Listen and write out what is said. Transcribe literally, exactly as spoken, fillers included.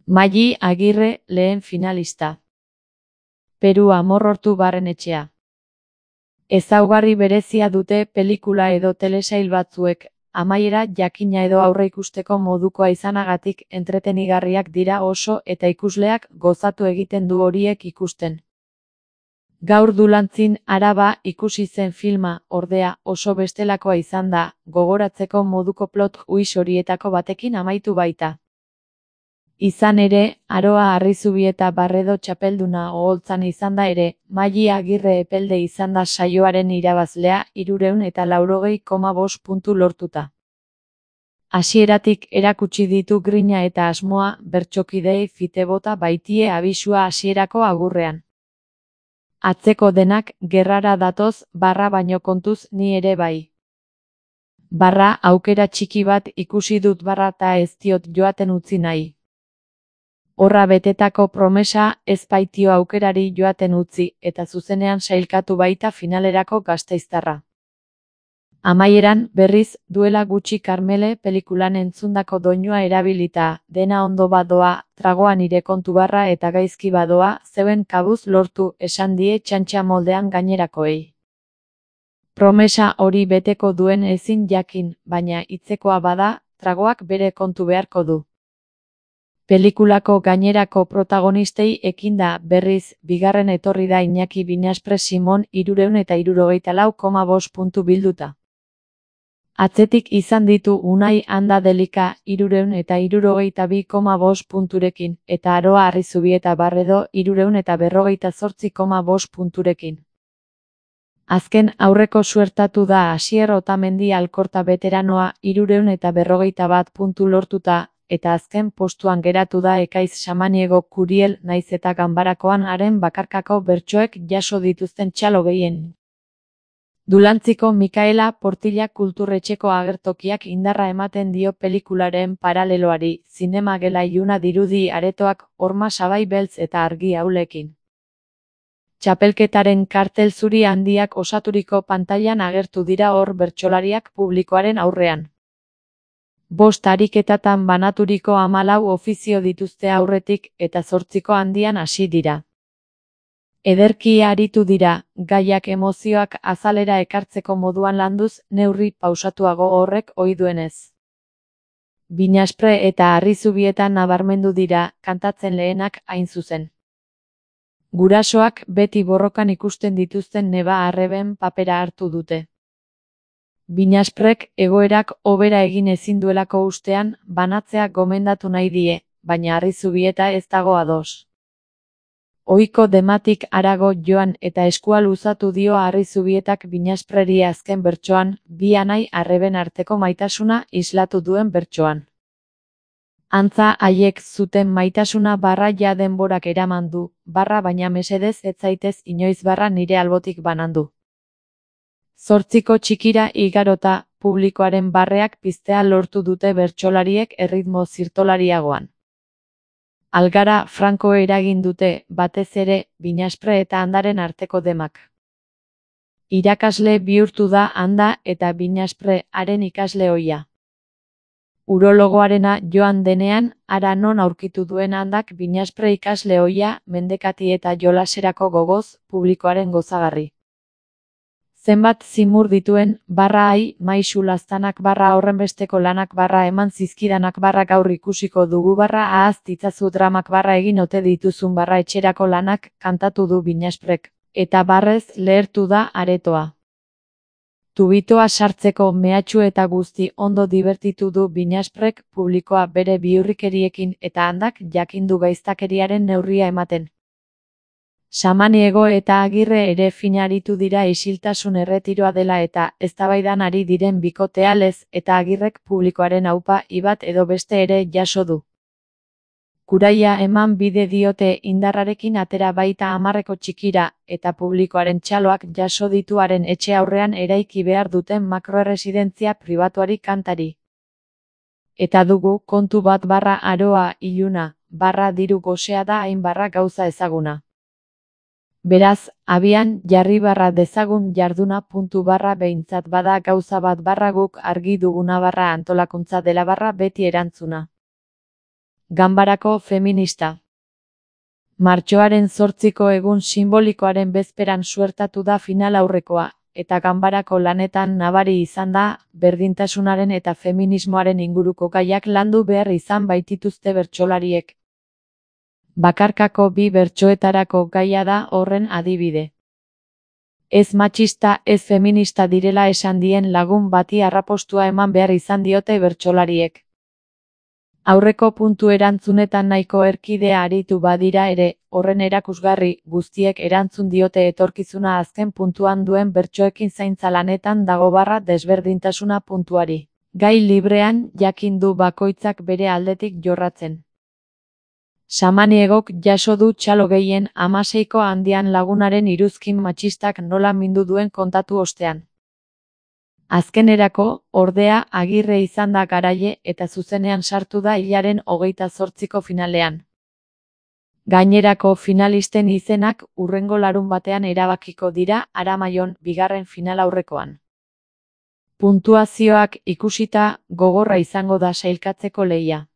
Maili Agirre lehen finalista. Peru Amorortu Barrenetxea. Ezaugarri berezia dute pelikula edo telesail batzuek, amaiera jakina edo aurreikusteko modukoa izanagatik entretenigarriak dira oso eta ikusleak gozatu egiten du horiek ikusten. Gaur Dulantzin Araba ikusi zen filma, ordea, oso bestelakoa izan da, gogoratzeko moduko plot twist horietako batekin amaitu baita. Izan ere, Aroa Arrizubieta Barredo txapelduna oholtzan izan da ere, Maili Agirre epelde izan da saioaren irabazlea hirurehun eta laurogei koma bost puntu lortuta. Hasieratik erakutsi ditu grina eta asmoa, bertsokideei fite bota baitie abisua hasierako agurrean. Atzeko denak gerrara datoz, barra baino kontuz ni ere bai. Barra aukera txiki bat ikusi dut barra ta ez diot joaten utzi nahi. Horra betetako promesa ez baitio aukerari joaten utzi eta zuzenean sailkatu baita finalerako gasteiztarra. Amaieran, berriz, duela gutxi Karmele pelikulan entzundako doinua erabilita, dena ondo badoa, tragoa nire kontu barra eta gaizki badoa, zeuen kabuz lortu esan die txantxa moldean gainerakoei. Promesa hori beteko duen ezin jakin, baina hitzekoa bada, tragoak bere kontu beharko du. Pelikulako gainerako protagonistei ekinda, berriz, bigarren etorri da Iñaki Binaspre Simon hirurehun eta hirurogeita lau koma bost puntu bilduta. Atzetik izan ditu Unai Anda Delika hirurehun eta hirurogeita bi koma bost punturekin, eta Aroa Arrizubieta Barredo hirurehun eta berrogeita zortzi koma bost punturekin. Azken aurreko suertatu da Asier Otamendi Alkorta beteranoa hirurehun eta berrogeita bat puntu lortuta, eta azken postuan geratu da Ekaiz Samaniego Kuriel naiz eta ganbarakoan haren bakarkako bertsoek jaso dituzten txalo gehien. Dulantziko Mikaela Portilla kulturretxeko agertokiak indarra ematen dio pelikularen paraleloari, zinemagela iluna dirudi aretoak horma sabai beltz eta argi aulekin. Txapelketaren kartel zuri handiak osaturiko pantailan agertu dira hor bertsolariak publikoaren aurrean. Bost ariketatan banaturiko hamalau ofizio dituzte aurretik eta zortziko handian hasi dira. Ederki aritu dira, gaiak emozioak azalera ekartzeko moduan landuz, neurri pausatuago horrek ohi duenez. Binaspre eta Arrizubieta nabarmendu dira, kantatzen lehenak hain zuzen. Gurasoak beti borrokan ikusten dituzten neba arreben papera hartu dute. Binasprek egoerak hobera egin ezin duelako ustean, banatzea gomendatu nahi die, baina Arrizubieta ez dago ados. Ohiko dematik harago joan eta eskua luzatu dio Arrizubietak Binaspreri azken bertsoan, bi anai arreben arteko maitasuna islatu duen bertsoan. Antza haiek zuten maitasuna barra ja denborak eraman du, barra baina mesedez ez zaitez inoiz barra nire albotik banandu. Zortziko txikira igarota, publikoaren barreak piztea lortu dute bertsolariek erritmo zirtolariagoan. Algara franko eragin dute, batez ere, Binaspre eta Andaren arteko demak. Irakasle bihurtu da Anda eta Binaspre haren ikasle ohia. Urologoarena joan denean, hara non aurkitu duen Andak Binaspre ikasle ohia, mendekati eta jolaserako gogoz, publikoaren gozagarri. Zenbat zimur dituen, barra ai, maisu laztanak barra horrenbesteko lanak barra eman zizkidanak barra gaur ikusiko dugu barra ahaz ditzazu dramak barra egin ote dituzun barra etxerako lanak kantatu du Binasprek, eta barrez lehertu da aretoa. Tubitoa sartzeko mehatxu eta guzti ondo dibertitu du Binasprek publikoa bere bihurrikeriekin eta Andak jakindu gaiztakeriaren neurria ematen. Samaniego eta Agirre ere finaritu dira isiltasun erretiroa dela eta eztabaidan ari diren bikotea lez eta Agirrek publikoaren aupa ibat edo beste ere jaso du. Kuraia eman bide diote indarrarekin atera baita hamarreko txikira eta publikoaren txaloak jaso dituaren etxe aurrean eraiki behar duten makroerresidentzia pribatuari kantari. Eta dugu kontu bat barra Aroa iluna, barra diru gosea da hain barra gauza ezaguna. Beraz, abian jarri barra dezagun jarduna puntu barra behintzat bada gauza bat barra guk argi duguna barra antolakuntza dela barra beti erantzuna. Ganbarako feminista. Martxoaren zortziko egun sinbolikoaren bezperan suertatu da final aurrekoa, eta ganbarako lanetan nabari izan da, berdintasunaren eta feminismoaren inguruko gaiak landu behar izan baitituzte bertsolariek. Bakarkako bi bertsoetarako gaia da horren adibide. Ez matxista ez feminista direla esan dien lagun bati arrapostua eman behar izan diote bertsolariek. Aurreko puntu erantzunetan nahiko erkidea aritu badira ere, horren erakusgarri, guztiek erantzun diote etorkizuna azken puntuan duen bertsoekin zaintza lanetan dago barra desberdintasuna puntuari. Gai librean jakin du bakoitzak bere aldetik jorratzen. Samaniegok jaso du txalo gehien hamaseiko handian lagunaren iruzkin matxistak nola mindu duen kontatu ostean. Azkenerako, ordea, Agirre izan da garaile eta zuzenean sartu da hilaren hogeita zortziko finalean. Gainerako finalisten izenak hurrengo larunbatean erabakiko dira Aramaion bigarren finalaurrekoan. Puntuazioak ikusita, gogorra izango da sailkatzeko lehia.